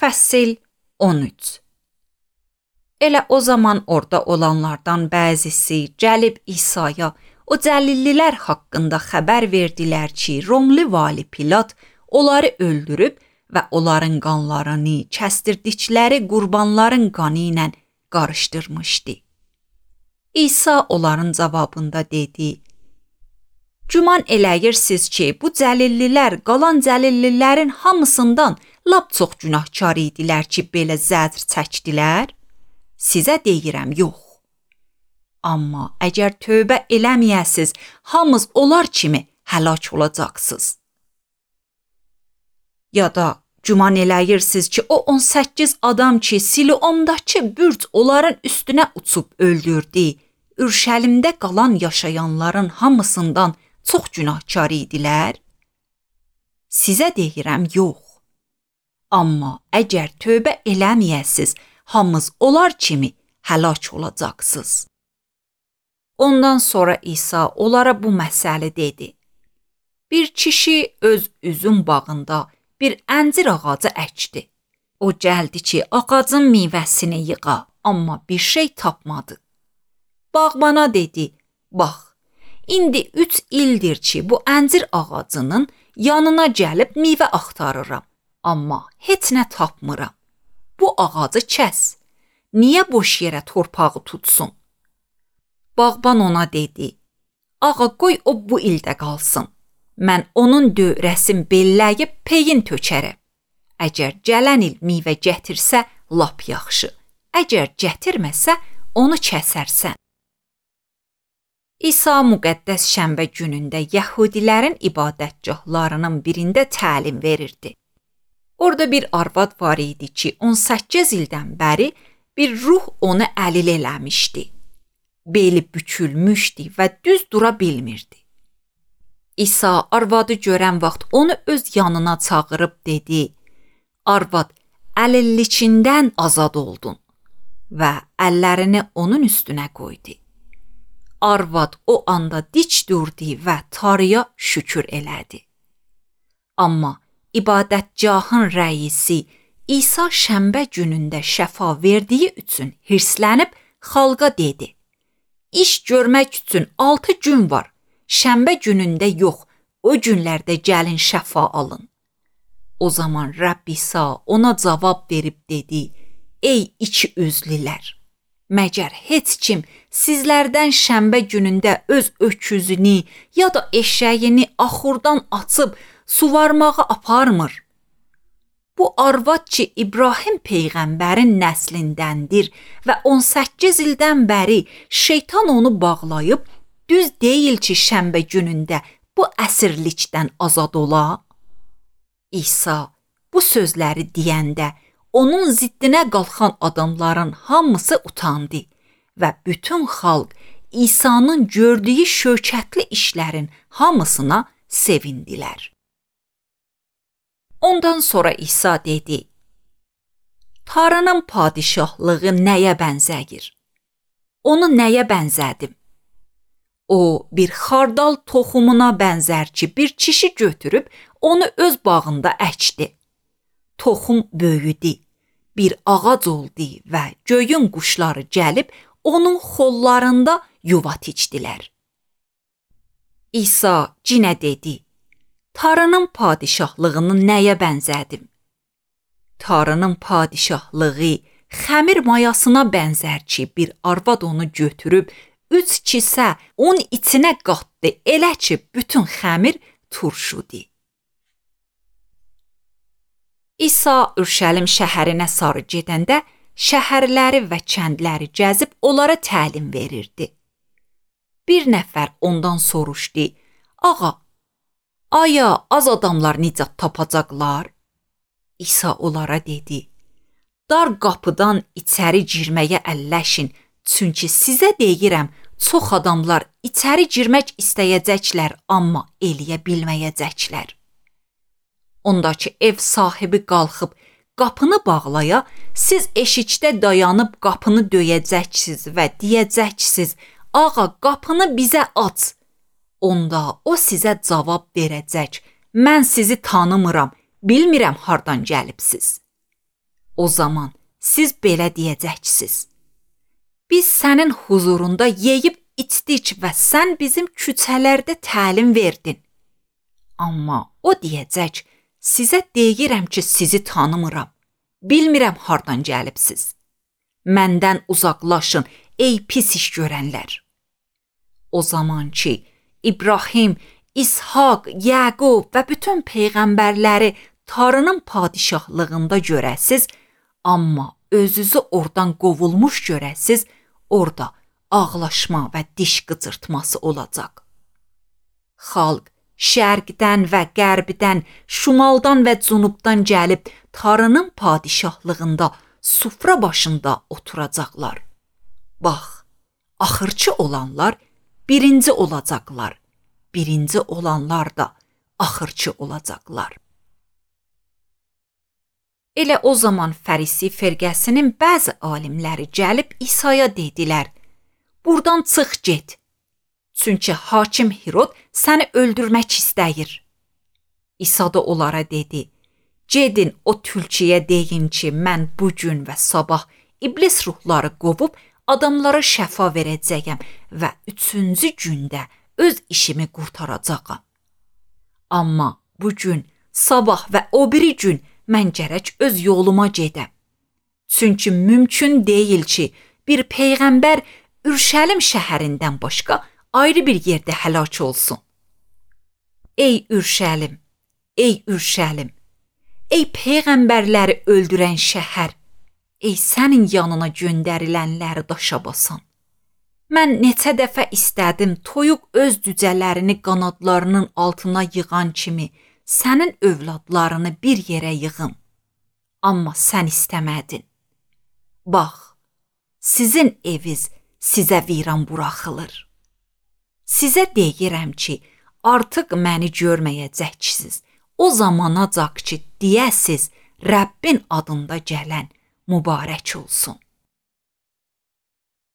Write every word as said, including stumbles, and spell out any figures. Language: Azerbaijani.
Fəsil on üç. Elə o zaman orada olanlardan bəzisi gəlib İsa'ya o cəlillilər haqqında xəbər verdilər ki, Romlu vali Pilat onları öldürüb və onların qanlarını kəsdirdikləri qurbanların qanı ilə qarışdırmışdı. İsa onların cavabında dedi: Güman eləyirsiniz ki, bu cəlillilər qalan cəlillilərin hamısından lap çox günahkar idilər ki, belə zəcr çəkdilər? Sizə deyirəm, yox. Amma əgər tövbə eləməyəsiz, hamınız onlar kimi həlak olacaqsınız. Ya da güman eləyirsiniz ki, o on səkkiz adam ki, Siloamdakı bürc onların üstünə uçub öldürdü, Ürşəlimdə qalan yaşayanların hamısından çox günahkar idilər? Sizə deyirəm, yox. Amma əgər tövbə eləməyəsiz, hamınız onlar kimi həlak olacaqsınız. Ondan sonra İsa onlara bu məsələ dedi. Bir kişi öz üzüm bağında bir əncir ağacı əkdi. O gəldi ki, ağacın meyvəsini yığa, amma bir şey tapmadı. Bağbana dedi, bax, indi üç ildir ki, bu əncir ağacının yanına gəlib meyvə axtarıram, amma heç nə tapmıram. Bu ağacı kəs, niyə boş yerə torpağı tutsun? Bağban ona dedi, ağa qoy o bu ildə qalsın, mən onun dövrəsin belləyib peyin tökərəm. Əgər gələn il meyvə gətirsə, lap yaxşı, əgər gətirməsə, onu kəsərsən. İsa müqəddəs şənbə günündə yəhudilərin ibadətgahlarının birində təlim verirdi. Orada bir arvad var idi ki, on səkkiz ildən bəri bir ruh onu əlil eləmişdi. Beli bükülmüşdü və düz dura bilmirdi. İsa arvadı görən vaxt onu öz yanına çağırıb dedi, arvad, əlillikindən azad oldun və əllərini onun üstünə qoydu. Arvad o anda dik durdu və Tanrıya şükür elədi. Amma ibadətgahın rəisi İsa şənbə günündə şəfa verdiyi üçün hirslənib xalqa dedi, İş görmək üçün altı gün var, şənbə günündə yox, o günlərdə gəlin şəfa alın. O zaman Rəbb İsa ona cavab verib dedi, ey iki üzlülər, məgər heç kim sizlərdən şənbə günündə öz öküzünü ya da eşəyini axurdan açıb suvarmağa aparmır? Bu arvad ki, İbrahim peyğəmbərin nəslindəndir və on səkkiz ildən bəri şeytan onu bağlayıb, düz deyil ki, şənbə günündə bu əsirlikdən azad ola? İsa bu sözləri deyəndə onun ziddinə qalxan adamların hamısı utandı və bütün xalq İsa'nın gördüyü şökətli işlərin hamısına sevindilər. Ondan sonra İsa dedi, Tanrının padişahlığı nəyə bənzəyir? Onu nəyə bənzədim? O, bir xardal toxumuna bənzər ki, bir kişi götürüb onu öz bağında əkdi. Toxum böyüdü, bir ağac oldu və göyün quşları gəlib onun xollarında yuva tikdilər. İsa yenə dedi, Tanrının padişahlığını nəyə bənzədim? Tanrının padişahlığı xəmir mayasına bənzər ki, bir arvad onu götürüb, üç kisə un içinə qatdı, elə ki, bütün xəmir turşudu. İsa Ürşəlim şəhərinə sarı gedəndə şəhərləri və kəndləri gəzib onlara təlim verirdi. Bir nəfər ondan soruşdu, ağa, aya az adamlar nicat tapacaqlar? İsa onlara dedi, dar qapıdan içəri girməyə əlləşin, çünki sizə deyirəm, çox adamlar içəri girmək istəyəcəklər, amma eləyə bilməyəcəklər. Ondakı ev sahibi qalxıb qapını bağlaya, siz eşikdə dayanıb qapını döyəcəksiniz və deyəcəksiniz, ağa qapını bizə aç. Onda o sizə cavab verəcək, mən sizi tanımıram, bilmirəm hardan gəlibsiz. O zaman siz belə deyəcəksiniz: biz sənin huzurunda yeyib içdik və sən bizim küçələrdə təlim verdin. Amma o deyəcək: sizə deyirəm ki, sizi tanımıram. Bilmirəm hardan gəlibsiz. Məndən uzaqlaşın, ey pis iş görənlər. O zaman ki, İbrahim, İshak, Yaqub və bütün peyğəmbərləri Tanrının padişahlığında görəsiz, amma özünüzü oradan qovulmuş görəsiz, orada ağlaşma və diş qıcırtması olacaq. Xalq şərqdən və qərbdən, şimaldan və cənubdan gəlib Tanrının padişahlığında sufra başında oturacaqlar. Bax, axırçı olanlar birinci olacaqlar, birinci olanlar da axırçı olacaqlar. Elə o zaman Fərisi firqəsinin bəzi alimləri gəlib İsa'ya dedilər: buradan çıx get. Çünki hakim Hirod səni öldürmək istəyir. İsa da onlara dedi: gedin o tülküyə deyin ki, mən bugün və sabah iblis ruhları qovub adamlara şəfa verəcəyəm və üçüncü gündə öz işimi qurtaracağam. Amma bugün, sabah və o biri gün mən gərək öz yoluma gedəm. Çünki mümkün deyil ki, bir peyğəmbər Ürşəlim şəhərindən başqa ayrı bir yerdə həlak olsun. Ey Ürşəlim, ey Ürşəlim, ey peyğəmbərləri öldürən şəhər, ey sənin yanına göndərilənləri daşa basan. Mən neçə dəfə istədim toyuq öz cücələrini qanadlarının altına yığan kimi sənin övladlarını bir yerə yığım. Amma sən istəmədin. Bax, sizin eviz sizə viran buraxılır. Sizə deyirəm ki, artıq məni görməyəcəksiniz. O zamanacaq ki, deyəsiz, Rəbbin adında gələn mübarək olsun.